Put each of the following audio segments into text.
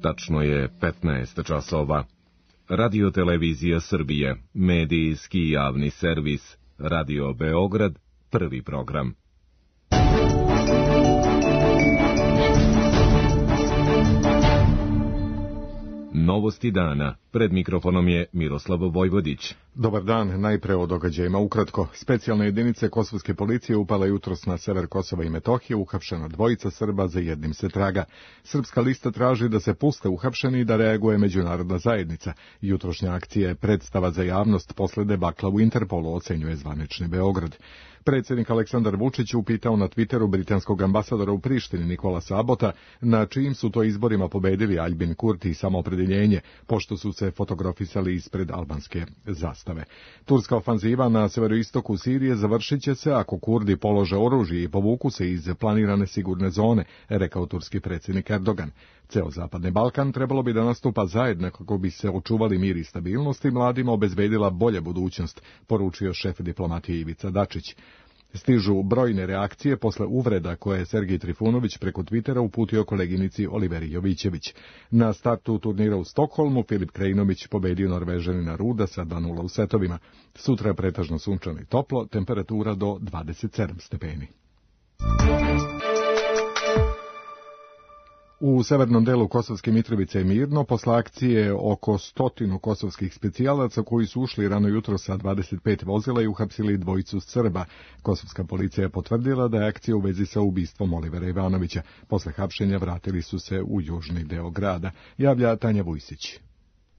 Tačno je 15 časova. Radio Televizija Srbije, medijski javni servis, Radio Beograd, prvi program. Novosti dana. Pred mikrofonom je Miroslav Vojvodić. Dobar dan, najpre o događajima ukratko. Specijalne jedinice kosovske policije upale jutros na sever Kosova i Metohije, uhapšena dvojica Srba, za jednim se traga. Srpska lista traži da se puste uhapšeni i da reaguje međunarodna zajednica. Jutrošnja akcija je predstava za javnost posle debakla u Interpolu, ocenjuje zvanični Beograd. Predsjednik Aleksandar Vučić upitao na Twitteru britanskog ambasadora u Prištini Nikolasa Abota na čijim su to izborima pobedili Aljbin Kurti i Samoopredeljenje, pošto su se fotografisali ispred albanske zastave. Turska ofanziva na severoistoku Sirije završit će se ako Kurdi polože oružje i povuku se iz planirane sigurne zone, rekao turski predsjednik Erdogan. Ceo Zapadni Balkan trebalo bi da nastupa zajedno kako bi se očuvali mir i stabilnost i mladima obezbedila bolja budućnost, poručio šef diplomatije Ivica Dačić. Stižu brojne reakcije posle uvreda koje je Sergij Trifunović preko Twittera uputio koleginici Oliveri Jovićević. Na startu turnira u Stokholmu Filip Krajinović pobedio Norvežanina Ruda sa 2:0 u setovima. Sutra je pretežno sunčano i toplo, temperatura do 27 stepeni. U severnom delu Kosovske Mitrovice je mirno, posle akcije oko 100 kosovskih specijalaca koji su ušli rano jutro sa 25 vozila i uhapsili dvojicu Srba. Kosovska policija je potvrdila da je akcija u vezi sa ubistvom Olivera Ivanovića. Posle hapšenja vratili su se u južni deo grada, javlja Tanja Vujsić.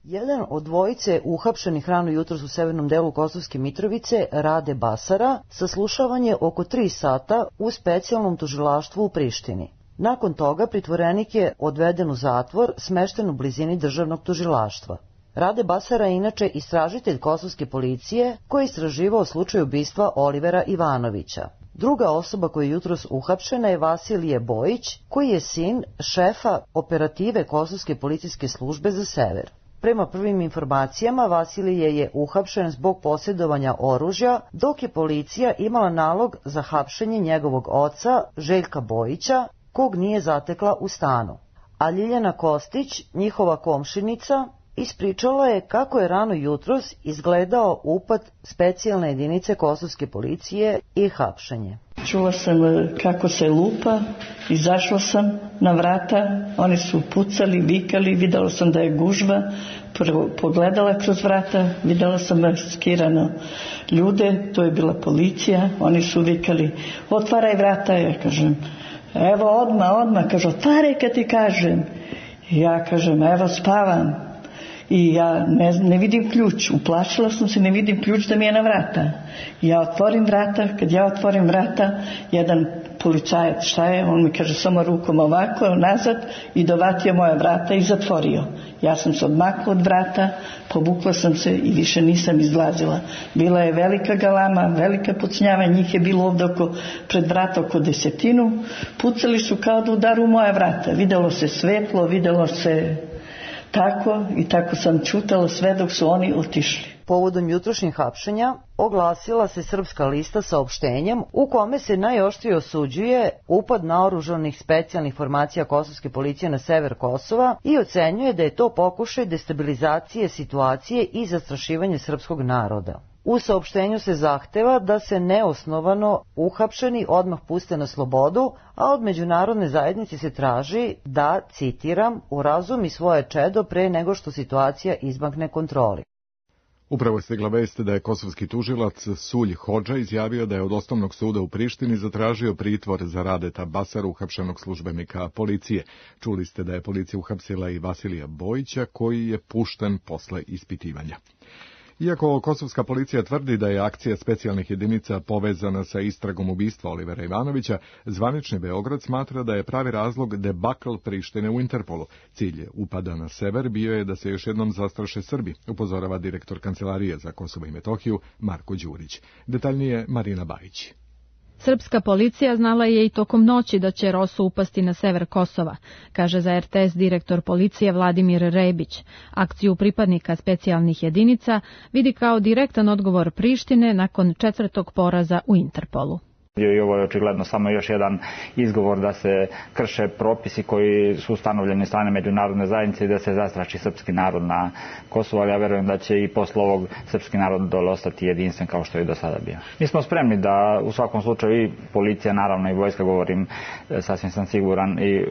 Jedan od dvojice uhapšenih rano jutros u severnom delu Kosovske Mitrovice, Rade Basara, saslušavan je oko 3 sata u specijalnom tužilaštvu u Prištini. Nakon toga pritvorenik je odveden u zatvor smešten u blizini državnog tužilaštva. Rade Basara je inače istražitelj kosovske policije koji je istraživao slučaj ubistva Olivera Ivanovića. Druga osoba koja je jutros uhapšena je Vasilije Bojić, koji je sin šefa operative Kosovske policijske službe za sever. Prema prvim informacijama, Vasilije je uhapšen zbog posjedovanja oružja, dok je policija imala nalog za hapšenje njegovog oca, Željka Bojića, kog nije zatekla u stanu. A Ljiljana Kostić, njihova komšinica, ispričala je kako je rano jutros izgledao upad specijalne jedinice kosovske policije i hapšenje. Čula sam kako se lupa, izašla sam na vrata, oni su pucali, vikali, videla sam da je gužva, pogledala kroz vrata, videla sam maskirano ljude, to je bila policija, oni su vikali, otvaraj vrata, ja kažem, evo odmah, kaže, otvaraj kad ti kažem. Ja kažem, evo spavam. I ja ne vidim ključ, uplašila sam se, ne vidim ključ da mi je na vrata. Ja otvorim vrata, kad ja otvorim vrata, jedan policajac, šta je, on mi kaže samo rukom ovako, nazad i dovatio moja vrata i zatvorio. Ja sam se odmakla od vrata, povukla sam se i više nisam izlazila. Bila je velika galama, velika pucnjava, njih je bilo ovdje pred vrata oko 10. Pucali su kao da udaru moja vrata. Videlo se svetlo, videlo se tako i tako sam čutala sve dok su oni otišli. Povodom jutrošnjih hapšenja oglasila se Srpska lista saopštenjem u kome se najoštrije osuđuje upad naoružanih specijalnih formacija kosovske policije na sever Kosova i ocenjuje da je to pokušaj destabilizacije situacije i zastrašivanje srpskog naroda. U saopštenju se zahteva da se neosnovano uhapšeni odmah puste na slobodu, a od međunarodne zajednice se traži da, citiram, urazumi svoje čedo pre nego što situacija izmakne kontroli. Upravo je stigla vest da je kosovski tužilac Sulj Hodža izjavio da je od Osnovnog suda u Prištini zatražio pritvor za Radeta Basaru, uhapšenog službenika policije. Čuli ste da je policija uhapsila i Vasilija Bojića, koji je pušten posle ispitivanja. Iako kosovska policija tvrdi da je akcija specijalnih jedinica povezana sa istragom ubistva Olivera Ivanovića, zvanični Beograd smatra da je pravi razlog debakl Prištine u Interpolu. Cilj upada na sever bio je da se još jednom zastraše Srbi, upozorava direktor Kancelarije za Kosovo i Metohiju Marko Đurić. Detaljnije Marina Bajić. Srpska policija znala je i tokom noći da će ROSU upasti na sever Kosova, kaže za RTS direktor policije Vladimir Rebić. Akciju pripadnika specijalnih jedinica vidi kao direktan odgovor Prištine nakon 4. poraza u Interpolu. I ovo je očigledno samo još jedan izgovor da se krše propisi koji su ustanovljeni strane međunarodne zajednice i da se zastraši srpski narod na Kosovu, ali ja verujem da će i posle ovog srpski narod dole ostati jedinstven kao što je do sada bio. Mi smo spremni da u svakom slučaju i policija, naravno i vojska, govorim, sasvim sam siguran, i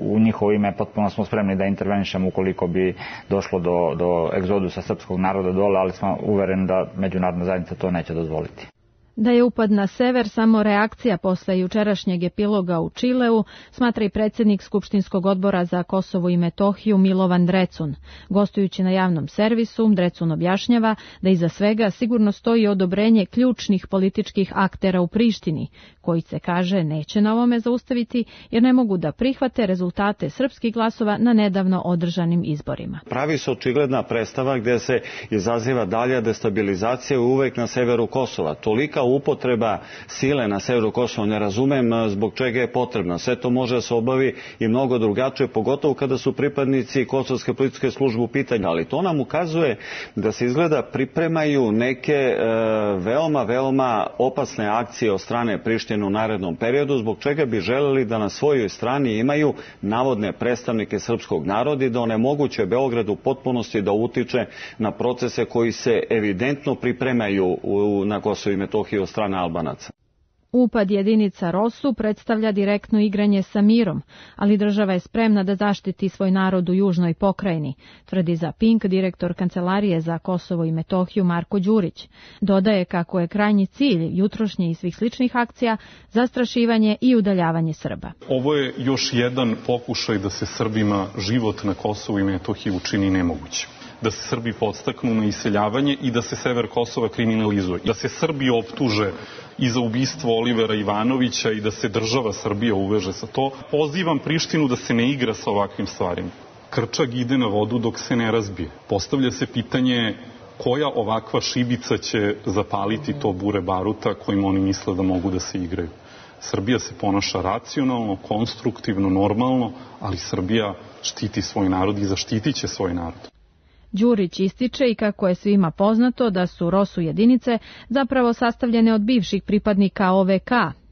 u njihovo ime potpuno smo spremni da intervenišemo ukoliko bi došlo do egzodusa srpskog naroda dole, ali smo uvereni da međunarodna zajednica to neće dozvoliti. Da je upad na sever samo reakcija posle jučerašnjeg epiloga u Čileu, smatra i predsjednik Skupštinskog odbora za Kosovo i Metohiju Milovan Drecun. Gostujući na javnom servisu, Drecun objašnjava da iza svega sigurno stoji odobrenje ključnih političkih aktera u Prištini, koji se, kaže, neće na ovome zaustaviti jer ne mogu da prihvate rezultate srpskih glasova na nedavno održanim izborima. Pravi se očigledna predstava gdje se izaziva dalja destabilizacija uvek na severu Kosova. Tolika upotreba sile na severu Kosova ne razumem zbog čega je potrebna. Sve to može da se obavi i mnogo drugačije, pogotovo kada su pripadnici kosovske policijske službe u pitanju. Ali to nam ukazuje da se izgleda pripremaju neke veoma opasne akcije od strane Prištine u narednom periodu, zbog čega bi želeli da na svojoj strani imaju navodne predstavnike srpskog naroda i da onemoguće Beogradu u potpunosti da utiče na procese koji se evidentno pripremaju na Kosovu i Metohiji od strane Albanaca. Upad jedinica ROSU predstavlja direktno igranje sa mirom, ali država je spremna da zaštiti svoj narod u južnoj pokrajini, tvrdi za Pink direktor Kancelarije za Kosovo i Metohiju Marko Đurić. Dodaje kako je krajnji cilj jutrošnje i svih sličnih akcija zastrašivanje i udaljavanje Srba. Ovo je još jedan pokušaj da se Srbima život na Kosovu i Metohiji učini nemogućim. Da se Srbi podstaknu na iseljavanje i da se sever Kosova kriminalizuje. Da se Srbi optuže i za ubistvo Olivera Ivanovića i da se država Srbija uveže sa to. Pozivam Prištinu da se ne igra sa ovakvim stvarima. Krčak ide na vodu dok se ne razbije. Postavlja se pitanje koja ovakva šibica će zapaliti to bure baruta kojim oni misle da mogu da se igraju. Srbija se ponaša racionalno, konstruktivno, normalno, ali Srbija štiti svoj narod i zaštitit će svoj narod. Đurić ističe i kako je svima poznato da su ROSU jedinice zapravo sastavljene od bivših pripadnika OVK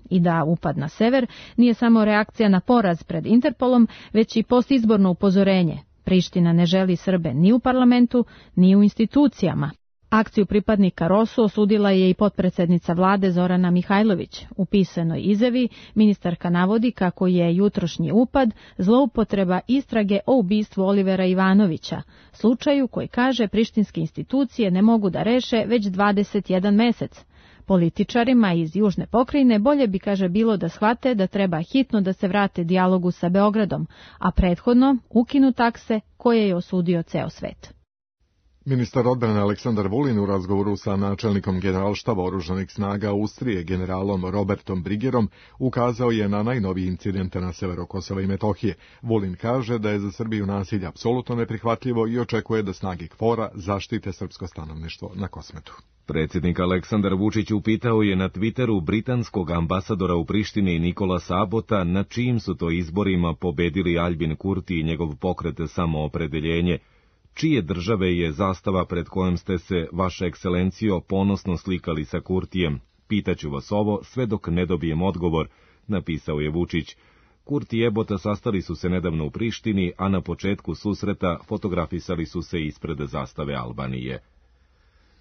i da upad na sever nije samo reakcija na poraz pred Interpolom, već i postizborno upozorenje. Priština ne želi Srbe ni u parlamentu, ni u institucijama. Akciju pripadnika ROSU osudila je i potpredsednica vlade Zorana Mihajlović. U pisanoj izjavi ministarka navodi kako je jutrošnji upad zloupotreba istrage o ubistvu Olivera Ivanovića, slučaju koji, kaže, prištinske institucije ne mogu da reše već 21 mesec. Političarima iz južne pokrajine bolje bi, kaže, bilo da shvate da treba hitno da se vrate dijalogu sa Beogradom, a prethodno ukinu takse koje je osudio ceo svet. Ministar odbrane Aleksandar Vulin u razgovoru sa načelnikom generalštaba oružanih snaga Austrije generalom Robertom Brigerom ukazao je na najnoviji incidente na severu Kosova i Metohije. Vulin kaže da je za Srbiju nasilje apsolutno neprihvatljivo i očekuje da snage KFOR-a zaštite srpsko stanovništvo na Kosmetu. Predsjednik Aleksandar Vučić upitao je na Twitteru britanskog ambasadora u Prištini Nikola Sabota na čijim su to izborima pobedili Albin Kurti i njegov pokret Samoopredeljenje. Čije države je zastava pred kojom ste se, vaša ekscelencijo, ponosno slikali sa Kurtijem? Pitaću vas ovo sve dok ne dobijem odgovor, napisao je Vučić. Kurti i Ebota sastali su se nedavno u Prištini, a na početku susreta fotografisali su se ispred zastave Albanije.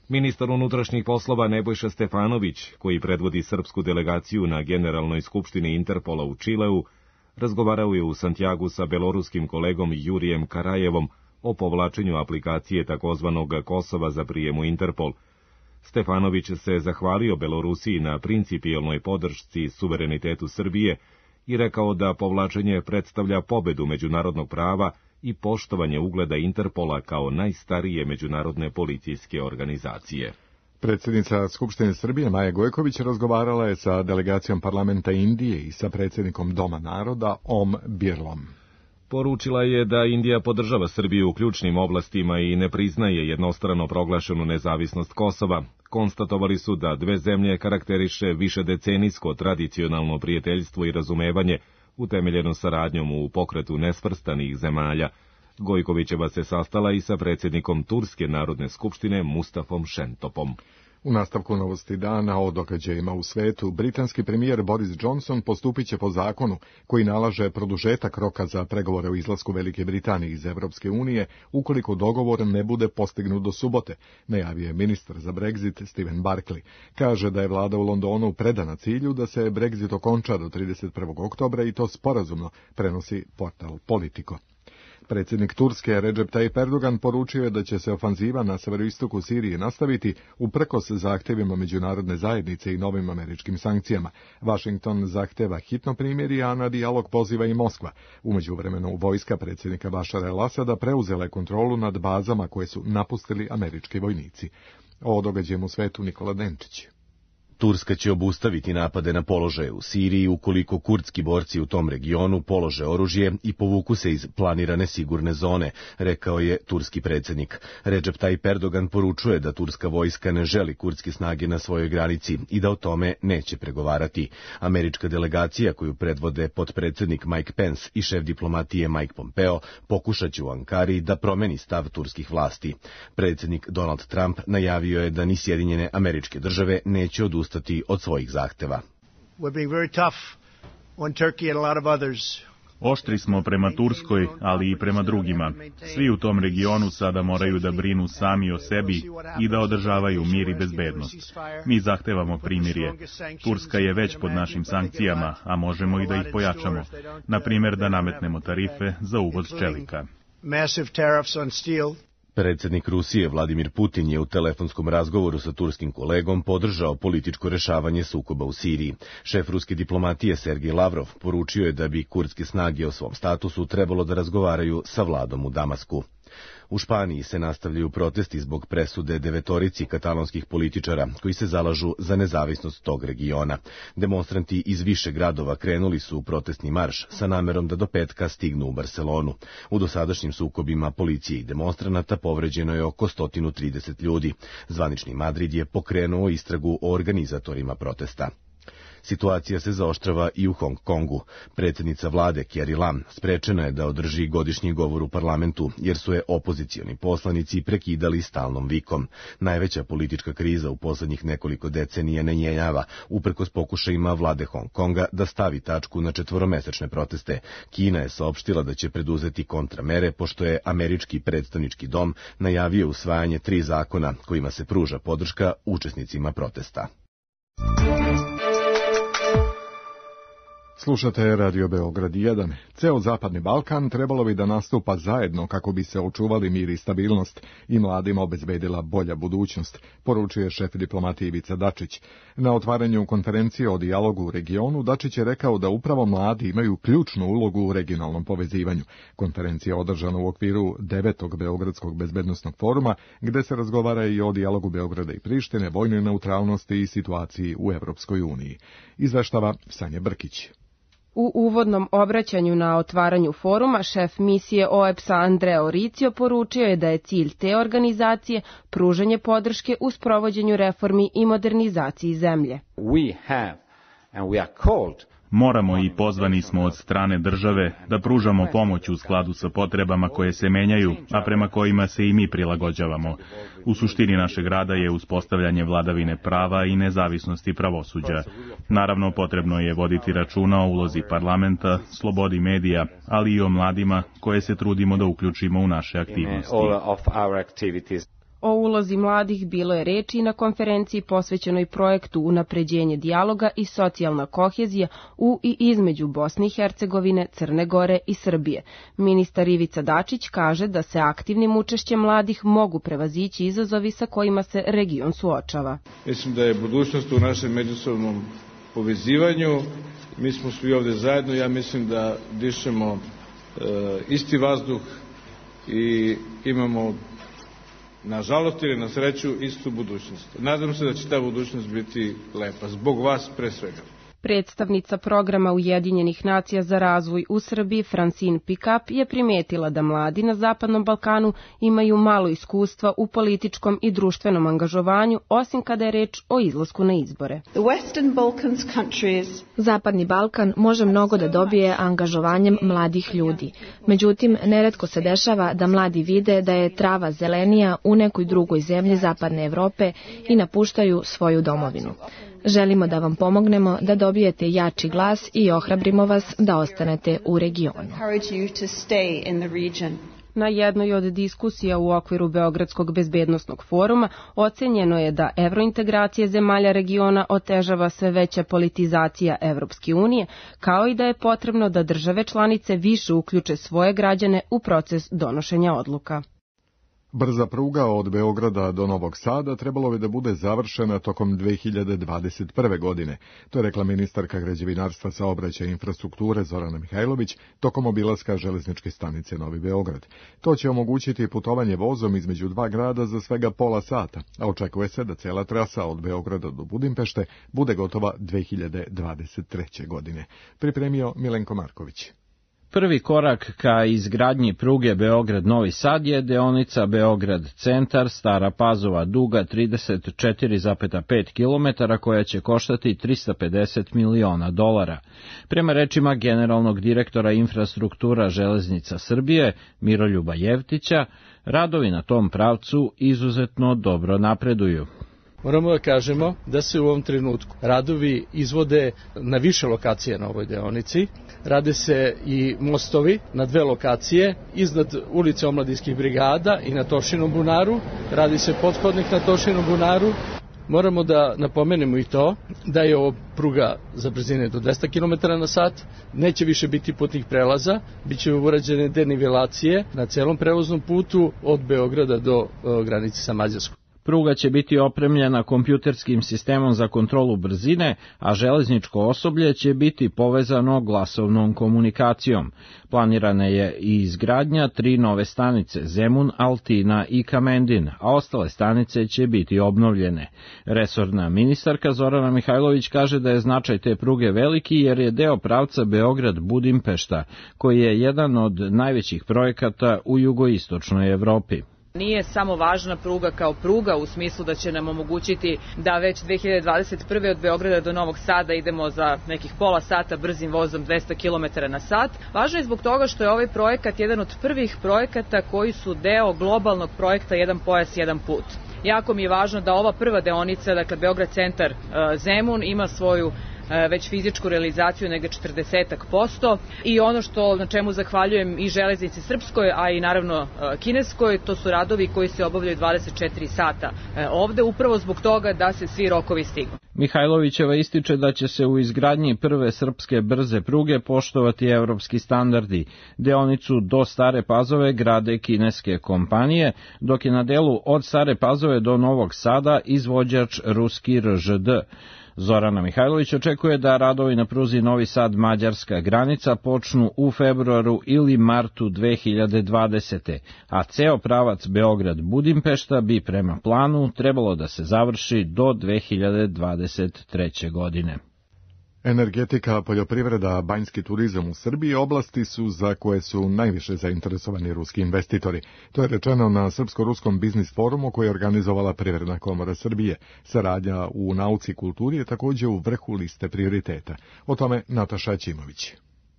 Ministar unutrašnjih poslova Nebojša Stefanović, koji predvodi srpsku delegaciju na Generalnoj skupštini Interpola u Čileu, razgovarao je u Santiagu sa beloruskim kolegom Jurijem Karajevom o povlačenju aplikacije takozvanog Kosova za prijem u Interpol. Stefanović se zahvalio Belorusiji na principijelnoj podršci suverenitetu Srbije i rekao da povlačenje predstavlja pobedu međunarodnog prava i poštovanje ugleda Interpola kao najstarije međunarodne policijske organizacije. Predsjednica Skupštine Srbije Maja Gojković razgovarala je sa delegacijom parlamenta Indije i sa predsjednikom Doma naroda Om Birlom. Poručila je da Indija podržava Srbiju u ključnim oblastima i ne priznaje jednostrano proglašenu nezavisnost Kosova. Konstatovali su da dve zemlje karakteriše višedecenijsko tradicionalno prijateljstvo i razumevanje, utemeljeno saradnjom u pokretu nesvrstanih zemalja. Gojkovićeva se sastala i sa predsjednikom Turske narodne skupštine Mustafom Šentopom. U nastavku novosti dana o događajima u svetu, britanski premijer Boris Johnson postupit će po zakonu koji nalaže produžetak roka za pregovore o izlasku Velike Britanije iz Evropske unije ukoliko dogovor ne bude postignut do subote, najavio je ministar za Brexit Stephen Barclay. Kaže da je vlada u Londonu predana cilju da se Brexit okonča do 31. oktobra i to sporazumno, prenosi portal Politico. Predsjednik Turske Recep Tayyip Erdogan poručio je da će se ofanziva na severoistoku Sirije nastaviti uprkos zahtjevima međunarodne zajednice i novim američkim sankcijama. Washington zahtjeva hitno primirje, a na dijalog poziva i Moskva. U međuvremenu vojska predsjednika Bašara el-Asada preuzela je kontrolu nad bazama koje su napustili američki vojnici. O događaju u svetu Nikola Denčić. Turska će obustaviti napade na položaje u Siriji ukoliko kurdski borci u tom regionu polože oružje i povuku se iz planirane sigurne zone, rekao je turski predsjednik. Recep Tayyip Erdogan poručuje da turska vojska ne želi kurdske snage na svojoj granici i da o tome neće pregovarati. Američka delegacija koju predvode potpredsjednik Mike Pence i šef diplomatije Mike Pompeo pokušat će u Ankari da promeni stav turskih vlasti. Predsjednik Donald Trump najavio je da ni Sjedinjene Američke Države neće odustati od svojih zahteva. Oštri smo prema Turskoj, ali i prema drugima. Svi u tom regionu sada moraju da brinu sami o sebi i da održavaju mir i bezbednost. Mi zahtevamo primirje. Turska je već pod našim sankcijama, a možemo i da ih pojačamo. Na primjer, da nametnemo tarife za uvoz čelika. Predsjednik Rusije Vladimir Putin je u telefonskom razgovoru sa turskim kolegom podržao političko rešavanje sukoba u Siriji. Šef ruske diplomatije Sergej Lavrov poručio je da bi kurdske snage o svom statusu trebalo da razgovaraju sa vladom u Damasku. U Španiji se nastavljaju protesti zbog presude 9 katalonskih političara koji se zalažu za nezavisnost tog regiona. Demonstranti iz više gradova krenuli su u protestni marš sa namerom da do petka stignu u Barcelonu. U dosadašnjim sukobima policije i demonstranata povređeno je oko 130 ljudi. Zvanični Madrid je pokrenuo istragu o organizatorima protesta. Situacija se zaoštrava i u Hong Kongu. Predsjednica vlade Carrie Lam sprečena je da održi godišnji govor u parlamentu, jer su je opozicioni poslanici prekidali stalnom vikom. Najveća politička kriza u poslednjih nekoliko decenija ne jenjava, uprkos pokušajima vlade Hong Konga da stavi tačku na 4-mesečne proteste. Kina je saopštila da će preduzeti kontramere, pošto je američki predstavnički dom najavio usvajanje 3 zakona kojima se pruža podrška učesnicima protesta. Slušate Radio Beograd 1. Ceo Zapadni Balkan trebalo bi da nastupa zajedno kako bi se očuvali mir i stabilnost i mladima obezbedila bolja budućnost, poručuje šef diplomatije Ivica Dačić. Na otvaranju konferencije o dijalogu u regionu Dačić je rekao da upravo mladi imaju ključnu ulogu u regionalnom povezivanju. Konferencija je održana u okviru 9. Beogradskog bezbednosnog foruma, gde se razgovara i o dijalogu Beograda i Prištine, vojnoj neutralnosti i situaciji u Evropskoj uniji. Izveštava Sanja Brkić. U uvodnom obraćanju na otvaranju foruma šef misije OEBS-a Andrea Oricio poručio je da je cilj te organizacije pružanje podrške u sprovođenju reformi i modernizaciji zemlje. Moramo i pozvani smo od strane države da pružamo pomoć u skladu sa potrebama koje se menjaju, a prema kojima se i mi prilagođavamo. U suštini našeg rada je uspostavljanje vladavine prava i nezavisnosti pravosuđa. Naravno, potrebno je voditi računa o ulozi parlamenta, slobodi medija, ali i o mladima koje se trudimo da uključimo u naše aktivnosti. O ulozi mladih bilo je reči na konferenciji posvećenoj projektu Unapređenje dijaloga i socijalna kohezija u i između Bosne i Hercegovine, Crne Gore i Srbije. Ministar Ivica Dačić kaže da se aktivnim učešćem mladih mogu prevazići izazovi sa kojima se region suočava. Mislim da je budućnost u našem međusobnom povezivanju. Mi smo svi ovde zajedno, ja mislim da dišemo isti vazduh i imamo nažalost ili na sreću istu budućnost. Nadam se da će ta budućnost biti lepa, zbog vas pre svega. Predstavnica programa Ujedinjenih nacija za razvoj u Srbiji, Francine Pickup, je primetila da mladi na Zapadnom Balkanu imaju malo iskustva u političkom i društvenom angažovanju, osim kada je reč o izlasku na izbore. Zapadni Balkan može mnogo da dobije angažovanjem mladih ljudi. Međutim, neretko se dešava da mladi vide da je trava zelenija u nekoj drugoj zemlji Zapadne Evrope i napuštaju svoju domovinu. Želimo da vam pomognemo da dobijete jači glas i ohrabrimo vas da ostanete u regionu. Na jednoj od diskusija u okviru Beogradskog bezbednosnog foruma ocenjeno je da evrointegracije zemalja regiona otežava sve veća politizacija Evropske unije, kao i da je potrebno da države članice više uključe svoje građane u proces donošenja odluka. Brza pruga od Beograda do Novog Sada trebalo bi da bude završena tokom 2021. godine. To je rekla ministarka građevinarstva, saobraćaja i infrastrukture Zorana Mihajlović tokom obilaska železničke stanice Novi Beograd. To će omogućiti putovanje vozom između dva grada za svega pola sata, a očekuje se da cela trasa od Beograda do Budimpešte bude gotova 2023. godine. Pripremio Milenko Marković. Prvi korak ka izgradnji pruge Beograd-Novi Sad je deonica Beograd-Centar, Stara Pazova, duga 34,5 km, koja će koštati $350 miliona. Prema rečima generalnog direktora infrastruktura Železnica Srbije, Miroljuba Jevtića, radovi na tom pravcu izuzetno dobro napreduju. Moramo da kažemo da se u ovom trenutku radovi izvode na više lokacije na ovoj deonici. Rade se i mostovi na dve lokacije, iznad ulice Omladinskih brigada i na Tošinom bunaru. Radi se pothodnik na Tošinom bunaru. Moramo da napomenemo i to da je ovo pruga za brzine do 200 km na sat, neće više biti putnih prelaza, bit će urađene denivelacije na celom prevoznom putu od Beograda do granice sa Mađarskom. Pruga će biti opremljena kompjuterskim sistemom za kontrolu brzine, a železničko osoblje će biti povezano glasovnom komunikacijom. Planirana je i izgradnja 3 nove stanice, Zemun, Altina i Kamendin, a ostale stanice će biti obnovljene. Resorna ministarka Zorana Mihajlović kaže da je značaj te pruge veliki jer je deo pravca Beograd-Budimpešta, koji je jedan od najvećih projekata u jugoistočnoj Evropi. Nije samo važna pruga kao pruga u smislu da će nam omogućiti da već 2021. od Beograda do Novog Sada idemo za nekih pola sata brzim vozom 200 km na sat. Važno je zbog toga što je ovaj projekat jedan od prvih projekata koji su deo globalnog projekta Jedan pojas, jedan put. Jako mi je važno da ova prva deonica, dakle Beograd centar Zemun, ima svoju već fizičku realizaciju nega 40% i ono što na čemu zahvaljujem i železnici srpskoj, a i naravno kineskoj, to su radovi koji se obavljaju 24 sata ovde, upravo zbog toga da se svi rokovi stignu. Mihajlovićeva ističe da će se u izgradnji prve srpske brze pruge poštovati evropski standardi. Deonicu do Stare Pazove grade kineske kompanije, dok je na delu od Stare Pazove do Novog Sada izvođač ruski RŽD. Zorana Mihajlović očekuje da radovi na pruzi Novi Sad-Mađarska granica počnu u februaru ili martu 2020. a ceo pravac Beograd-Budimpešta bi prema planu trebalo da se završi do 2023. godine. Energetika, poljoprivreda, banjski turizam u Srbiji oblasti su za koje su najviše zainteresovani ruski investitori. To je rečeno na Srpsko-ruskom biznis forumu koji je organizovala Privredna komora Srbije. Saradnja u nauci i kulturi je također u vrhu liste prioriteta. O tome Nataša Ćimović.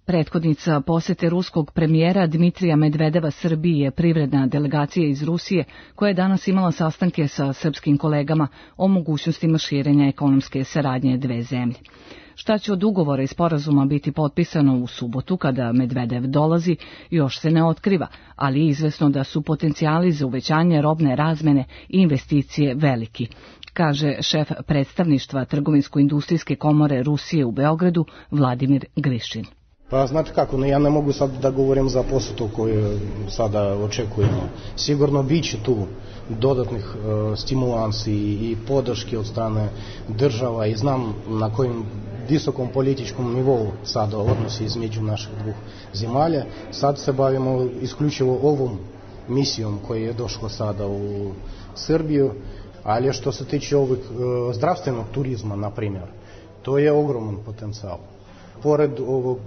Prethodnica posete ruskog premijera Dmitrija Medvedeva Srbiji je privredna delegacija iz Rusije koja je danas imala sastanke sa srpskim kolegama o mogućnostima širenja ekonomske saradnje dve zemlje. Šta će od ugovora i sporazuma biti potpisano u subotu kada Medvedev dolazi, još se ne otkriva, ali je izvesno da su potencijali za uvećanje robne razmene i investicije veliki, kaže šef predstavništva Trgovinsko-industrijske komore Rusije u Beogradu Vladimir Grišin. Pa znate kako, ja ne mogu sad da govorim za posetu koju sada očekujemo. Sigurno bit će tu dodatnih stimulansi i podrške od strane država i znam na kojim visokom političkom nivou sada odnosi između naših dveh zemalja. Sad se bavimo isključivo ovom misijom koja je došla sada u Srbiju, ali što se tiče ovog zdravstvenog turizma, na primjer, To je ogroman potencijal. Pored ovog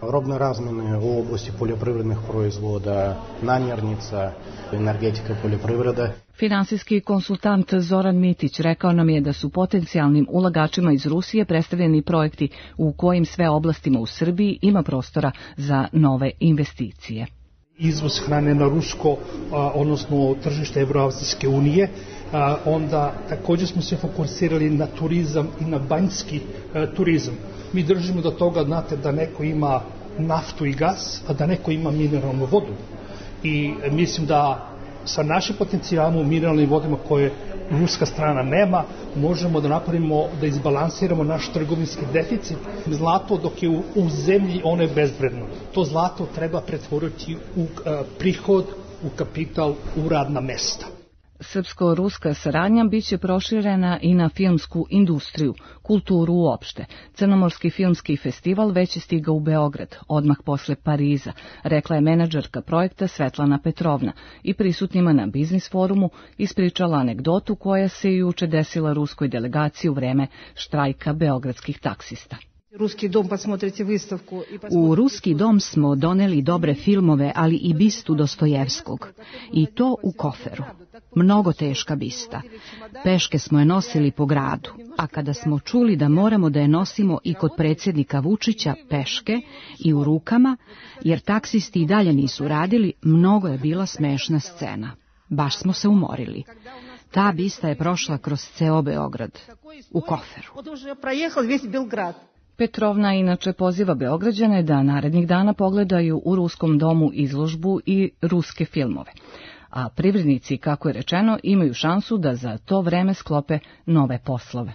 robne razmene u oblasti poljoprivrednih proizvoda, namirnica, energetika, poljoprivreda. Finansijski konsultant Zoran Mitić rekao nam je da su potencijalnim ulagačima iz Rusije predstavljeni projekti u kojim sve oblastima u Srbiji ima prostora za nove investicije. Izvoz hrane na rusko, odnosno tržište Evroazijske unije, onda također smo se fokusirali na turizam i na banjski turizam. Mi držimo do toga, znate, da neko ima naftu i gas, a da neko ima mineralnu vodu. I mislim da sa našim potencijalom u mineralnim vodama koje ruska strana nema, možemo da napravimo, da izbalansiramo naš trgovinski deficit. Zlato dok je u zemlji, ono je bezvredno. To zlato treba pretvoriti u prihod, u kapital, u radna mesta. Srpsko-ruska saradnja biće proširena i na filmsku industriju, kulturu uopšte. Crnomorski filmski festival već je stigao u Beograd, odmah posle Pariza, rekla je menadžerka projekta Svetlana Petrovna i prisutnima na biznis forumu ispričala anegdotu koja se juče desila ruskoj delegaciji u vreme štrajka beogradskih taksista. U Ruski dom smo doneli dobre filmove, ali i bistu Dostojevskog. I to u koferu. Mnogo teška bista. Peške smo je nosili po gradu, a kada smo čuli da moramo da je nosimo i kod predsjednika Vučića peške i u rukama, jer taksisti i dalje nisu radili, mnogo je bila smešna scena. Baš smo se umorili. Ta bista je prošla kroz ceo Beograd, u koferu. Petrovna inače poziva Beograđane da narednih dana pogledaju u Ruskom domu izložbu i ruske filmove. A privrednici, kako je rečeno, imaju šansu da za to vreme sklope nove poslove.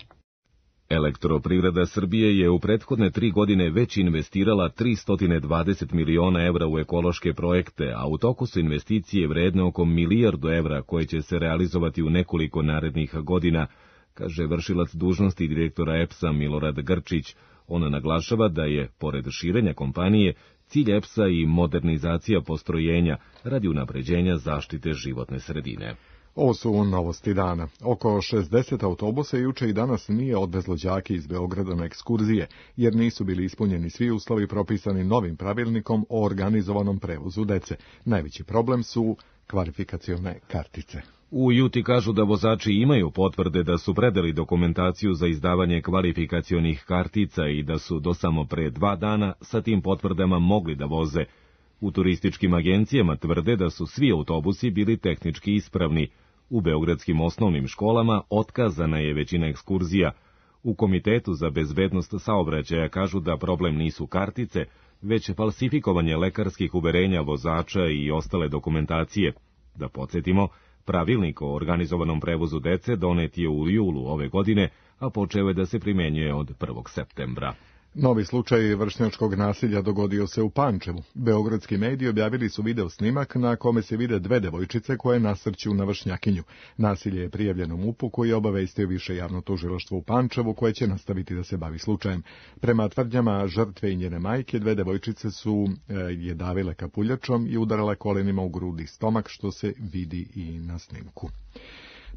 Elektroprivreda Srbije je u prethodne 3 godine već investirala 320 miliona evra u ekološke projekte, a u toku su investicije vredne oko 1 milijardu evra koje će se realizovati u nekoliko narednih godina, kaže vršilac dužnosti direktora EPS-a Milorad Grčić. Ona naglašava da je, pored širenja kompanije, cilj EPS-a i modernizacija postrojenja radi unapređenja zaštite životne sredine. Ovo su novosti dana. Oko 60 autobusa juče i danas nije odvezlo đake iz Beograda na ekskurzije, jer nisu bili ispunjeni svi uslovi propisani novim pravilnikom o organizovanom prevozu dece. Najveći problem su kvalifikacione kartice. U Juti kažu da vozači imaju potvrde da su predali dokumentaciju za izdavanje kvalifikacionih kartica i da su do samo pre 2 dana sa tim potvrdama mogli da voze. U turističkim agencijama tvrde da su svi autobusi bili tehnički ispravni. U beogradskim osnovnim školama otkazana je većina ekskurzija. U Komitetu za bezbednost saobraćaja kažu da problem nisu kartice, već falsifikovanje lekarskih uverenja vozača i ostale dokumentacije. Da podsjetimo, pravilnik o organizovanom prevozu dece donet je u julu ove godine, a počeo je da se primenjuje od 1. septembra. Novi slučaj vršnjačkog nasilja dogodio se u Pančevu. Beogradski mediji objavili su video snimak na kome se vide 2 devojčice koje nasrću na vršnjakinju. Nasilje je prijavljeno MUP-u koji je obavestio više javno tužilaštvo u Pančevu koje će nastaviti da se bavi slučajem. Prema tvrdnjama žrtve i njene majke, 2 devojčice su je davile kapuljačom i udarale kolenima u grudi i stomak, što se vidi i na snimku.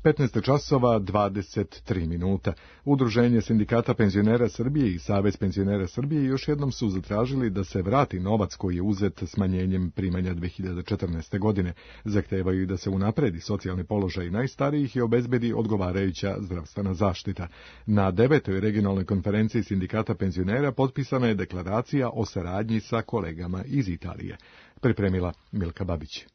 15 časova 23 minuta. Udruženje sindikata penzionera Srbije i Savez penzionera Srbije još jednom su zatražili da se vrati novac koji je uzet smanjenjem primanja 2014. godine. Zahtevaju i da se unapredi socijalni položaj najstarijih i obezbedi odgovarajuća zdravstvena zaštita. Na 9. regionalnoj konferenciji sindikata penzionera potpisana je deklaracija o saradnji sa kolegama iz Italije. Pripremila Milka Babić.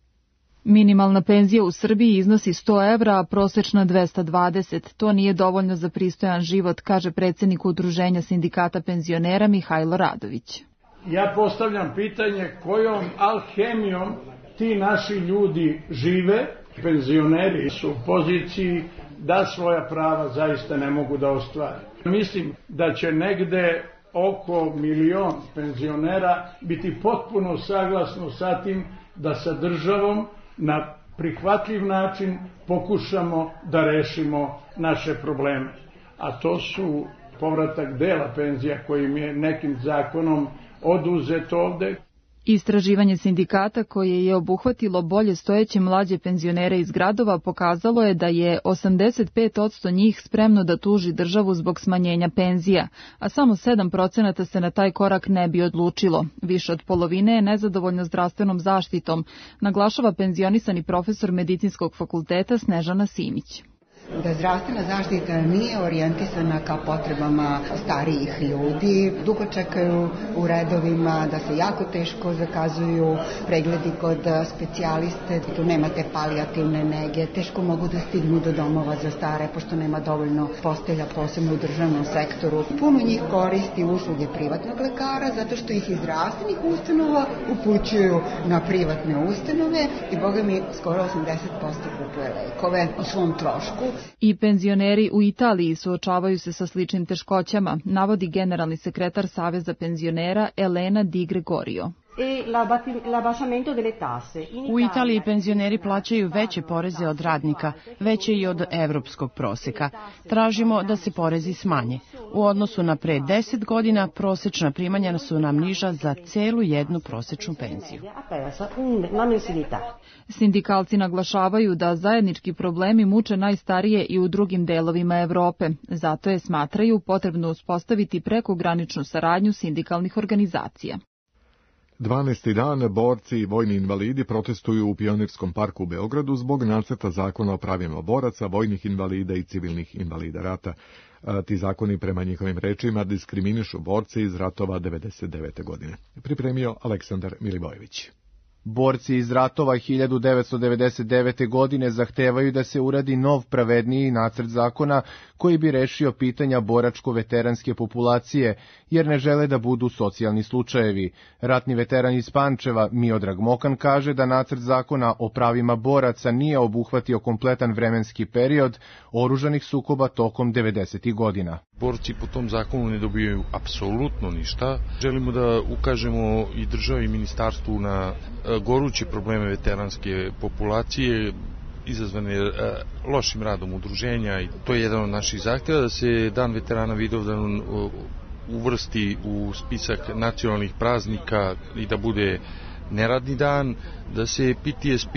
Minimalna penzija u Srbiji iznosi 100 evra, a prosečna 220. To nije dovoljno za pristojan život, kaže predsjednik Udruženja sindikata penzionera Mihajlo Radović. Ja postavljam pitanje kojom alhemijom ti naši ljudi žive. Penzioneri su u poziciji da svoja prava zaista ne mogu da ostvare. Mislim da će negde oko 1 milion penzionera biti potpuno saglasno sa tim da sa državom na prihvatljiv način pokušamo da rešimo naše probleme. A to su povratak dela penzija kojim je nekim zakonom oduzet ovde. Istraživanje sindikata koje je obuhvatilo bolje stojeće mlađe penzionere iz gradova pokazalo je da je 85% njih spremno da tuži državu zbog smanjenja penzija, a samo 7% se na taj korak ne bi odlučilo. Više od polovine je nezadovoljno zdravstvenom zaštitom, naglašava penzionisani profesor Medicinskog fakulteta Snežana Simić. Da zdravstvena zaštita nije orijentisana ka potrebama starijih ljudi, dugo čekaju u redovima, da se jako teško zakazuju pregledi kod specijaliste, tu nemate palijativne nege, teško mogu da stignu do domova za stare, pošto nema dovoljno postelja, posebno u državnom sektoru. Puno njih koristi usluge privatnog lekara, zato što ih iz zdravstvenih ustanova upućuju na privatne ustanove i, boga mi, skoro 80% kupuje lekove o svom trošku. I penzioneri u Italiji suočavaju se sa sličnim teškoćama, navodi generalni sekretar Saveza penzionera Elena Di Gregorio. U Italiji penzioneri plaćaju veće poreze od radnika, veće i od evropskog proseka. Tražimo da se porezi smanje. U odnosu na pre 10 godina prosečna primanja su nam niža za celu jednu prosečnu penziju. Sindikalci naglašavaju da zajednički problemi muče najstarije i u drugim delovima Evrope. Zato je, smatraju, potrebno uspostaviti prekograničnu saradnju sindikalnih organizacija. 12. dan borci i vojni invalidi protestuju u Pionirskom parku u Beogradu zbog nacrta zakona o pravima boraca, vojnih invalida i civilnih invalida rata. Ti zakoni, prema njihovim rečima, diskriminišu borce iz ratova 1999. godine. Pripremio Aleksandar Milivojević. Borci iz ratova 1999. godine zahtevaju da se uradi nov, pravedniji nacrt zakona koji bi rešio pitanja boračko-veteranske populacije, jer ne žele da budu socijalni slučajevi. Ratni veteran iz Pančeva Miodrag Mokan kaže da nacrt zakona o pravima boraca nije obuhvatio kompletan vremenski period oružanih sukoba tokom 90. godina. Borci po tom zakonu ne dobijaju apsolutno ništa. Želimo da ukažemo i državi i ministarstvu na goruće probleme veteranske populacije izazvane lošim radom udruženja i to je jedan od naših zahteva da se Dan veterana Vidovdan uvrsti u spisak nacionalnih praznika i da bude neradni dan, da se PTSP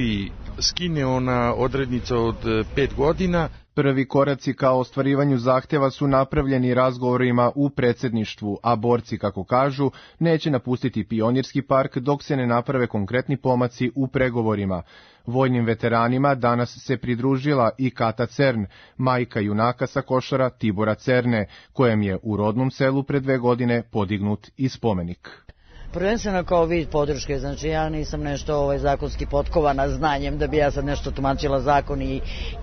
skine ona odrednica od 5 godina. Prvi koraci ka ostvarivanju zahteva su napravljeni razgovorima u predsjedništvu, a borci, kako kažu, neće napustiti Pionirski park dok se ne naprave konkretni pomaci u pregovorima. Vojnim veteranima danas se pridružila i Kata Cern, majka junaka sa Košara Tibora Cerne, kojem je u rodnom selu pre 2 godine podignut i spomenik. Prvenstveno kao vid podrške, znači ja nisam nešto zakonski potkovana znanjem da bi ja sad nešto tumačila zakon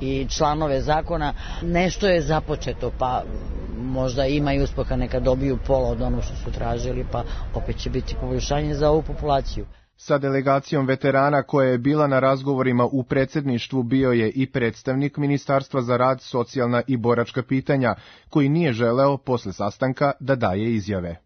i članove zakona. Nešto je započeto, pa možda ima i uspeha, neka dobiju pola od ono što su tražili, pa opet će biti poboljšanje za ovu populaciju. Sa delegacijom veterana koja je bila na razgovorima u predsjedništvu bio je i predstavnik Ministarstva za rad, socijalna i boračka pitanja, koji nije želeo posle sastanka da daje izjave.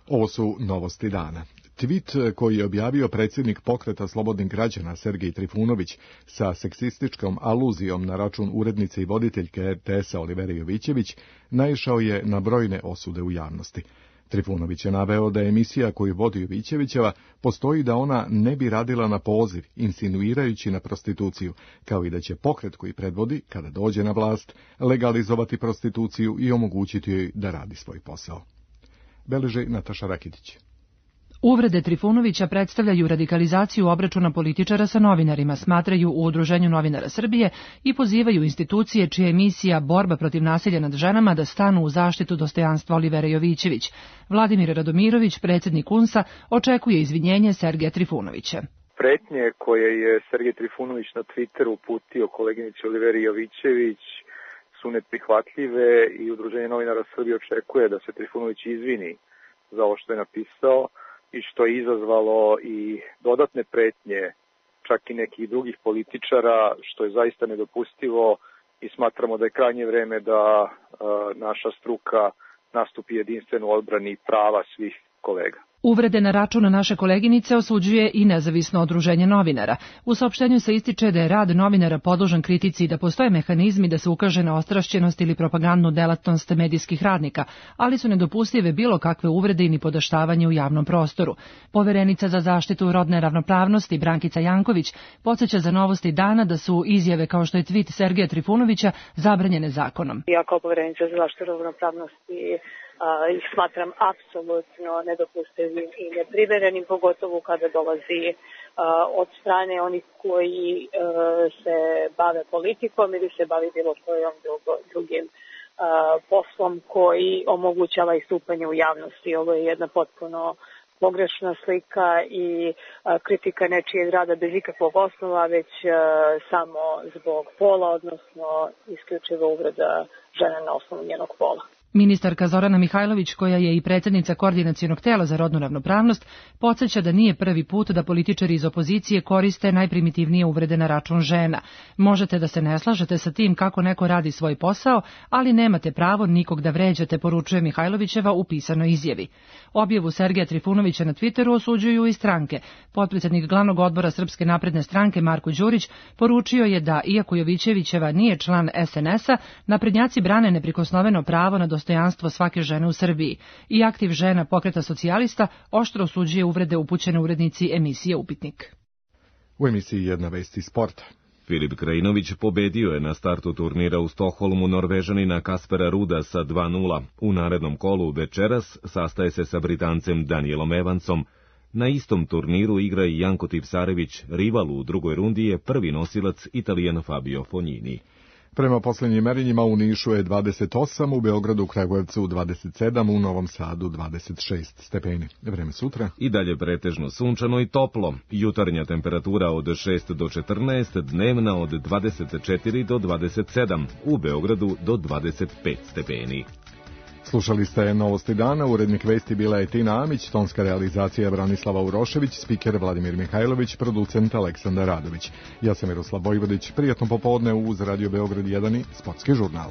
Ovo su novosti dana. Tweet koji je objavio predsjednik Pokreta slobodnih građana Sergej Trifunović sa seksističkom aluzijom na račun urednice i voditeljke RTS-a Olivere Jovićević naišao je na brojne osude u javnosti. Trifunović je naveo da emisija koju vodi Jovićevićeva postoji da ona ne bi radila na poziv, insinuirajući na prostituciju, kao i da će pokret koji predvodi, kada dođe na vlast, legalizovati prostituciju i omogućiti joj da radi svoj posao. Beleži Nataša Rakitić. Uvrede Trifunovića predstavljaju radikalizaciju obračuna političara sa novinarima, smatraju u Udruženju novinara Srbije i pozivaju institucije čija je misija borba protiv nasilja nad ženama da stanu u zaštitu dostojanstva Olivere Jovićević. Vladimir Radomirović, predsjednik UNS-a, očekuje izvinjenje Sergeja Trifunovića. Pretnje koje je Sergej Trifunović na Twitteru uputio koleginici Oliveri Jovićević su neprihvatljive i Udruženje novinara Srbije očekuje da se Trifunović izvini za ovo što je napisao i što je izazvalo i dodatne pretnje čak i nekih drugih političara, što je zaista nedopustivo i smatramo da je krajnje vreme da naša struka nastupi jedinstveno u odbrani prava svih kolega. Uvrede na račun naše koleginice osuđuje i nezavisno udruženje novinara. U saopštenju se ističe da je rad novinara podložan kritici i da postoje mehanizmi da se ukaže na ostrašćenost ili propagandnu delatnost medijskih radnika, ali su nedopustive bilo kakve uvrede i nipodaštavanje u javnom prostoru. Poverenica za zaštitu rodne ravnopravnosti Brankica Janković podsjeća za Novosti dana da su izjave kao što je tvit Sergeja Trifunovića zabranjene zakonom. Ja kao poverenica za zaštitu ravnopravnosti ih smatram apsolutno nedopustivim i neprimerenim, pogotovo kada dolazi od strane onih koji se bave politikom ili se bavi bilo kojom drugim poslom koji omogućava istupanje u javnosti. Ovo je jedna potpuno pogrešna slika i kritika nečijeg rada bez ikakvog osnova, već samo zbog pola, odnosno isključivo uvreda žene na osnovu njenog pola. Ministarka Zorana Mihajlović, koja je i predsjednica Koordinacionog tela za rodnu ravnopravnost, podsjeća da nije prvi put da političari iz opozicije koriste najprimitivnije uvrede na račun žena. Možete da se ne slažete sa tim kako neko radi svoj posao, ali nemate pravo nikog da vređate, poručuje Mihajlovićeva u pisanoj izjavi. Objavu Sergeja Trifunovića na Twitteru osuđuju i stranke. Potpredsjednik glavnog odbora Srpske napredne stranke Marko Đurić poručio je da, iako Jovićevićeva nije član SNS-a, naprednjaci brane neprikosnoveno pravo na dostojanstvo svake žene u Srbiji. I aktiv žena Pokreta socijalista oštro osuđuje uvrede upućene urednici emisije Upitnik. U emisiji jedna vest iz sporta. Filip Krajinović pobedio je na startu turnira u Stokholmu Norvežanina Kaspera Ruda sa 2:0. U narednom kolu večeras sastaje se sa Britancem Danielom Evansom. Na istom turniru igra i Janko Tipsarević, rival u drugoj rundi je prvi nosilac Italijan Fabio Fognini. Prema posljednjim merenjima u Nišu je 28, u Beogradu, Kragujevcu 27, u Novom Sadu 26 stepeni. Vreme sutra. I dalje pretežno sunčano i toplo. Jutarnja temperatura od 6 do 14, dnevna od 24 do 27, u Beogradu do 25 stepeni. Slušali ste Novosti dana, urednik vesti bila je Tina Amić, tonska realizacija Branislava Urošević, spiker Vladimir Mihajlović, producent Aleksandar Radović. Ja sam Miroslav Vojvodić, prijatno popodne uz Radio Beograd 1 i Sportski žurnal.